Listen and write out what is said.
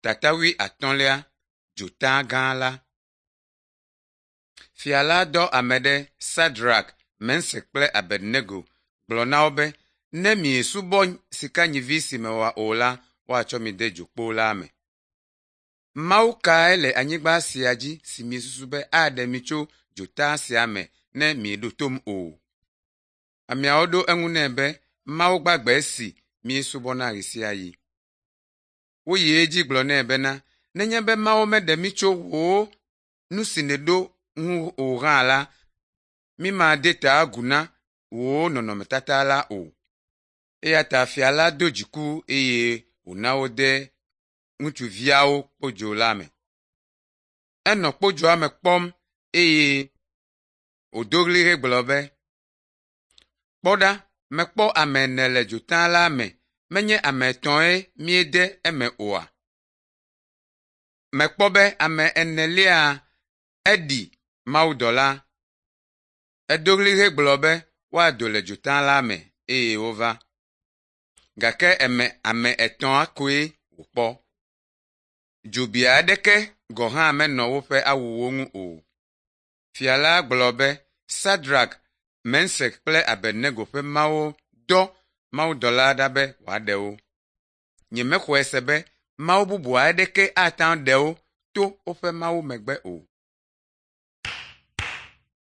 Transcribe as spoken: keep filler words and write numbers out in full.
Tata wuiatɔ̃lia Dzota gã la. Fia la dɔ ame ɖe Sadrak, Mesak kple Abednego gblɔ na wo be, ne miesubɔ sikanyivi si mewɔ o la, woatsɔ mi de dzokpo la me. Mawu kae le anyigba sia dzi si miesusu be aɖe mi tso dzota sia me ne mieɖo tom o? Ameawo ɖo eŋu nɛ be, Mawu gbagbe si míesubɔna ɣe sia ɣi. Woyi edzi gblɔ nɛ bena, nenye be Mawu meɖe mí tso wò nu si nèɖo ŋu o hã la, mímade ta agu na wò nɔnɔmetata la o. Eya ta fia la do dziku eye wòna wode ŋutsuviawo kpodzo la me. Enɔ kpodzoa me kpɔm eye wòdo ɣli hegblɔ be, “Kpɔ ɖa, mekpɔ ame ene le dzota la me, menye ame etɔ̃e míede eme oa? Mekpɔ be ame enelia eɖi mawudɔla.” Edo ɣli hegblɔ be woado le dzota la me eye wova. Gake eme ame etɔ̃a koe wòkpɔ. Dzobi aɖeke gɔ̃ hã menɔ woƒe awuwo ŋu o. Fia la gblɔ be Sadrak, Mesak kple Abednego ƒe Mawu dɔ mawudɔla ɖa be wòaɖe wo. Nyemexɔe se be mawu bubu aɖeke ate ŋu aɖe wo to woƒe mawu megbe o.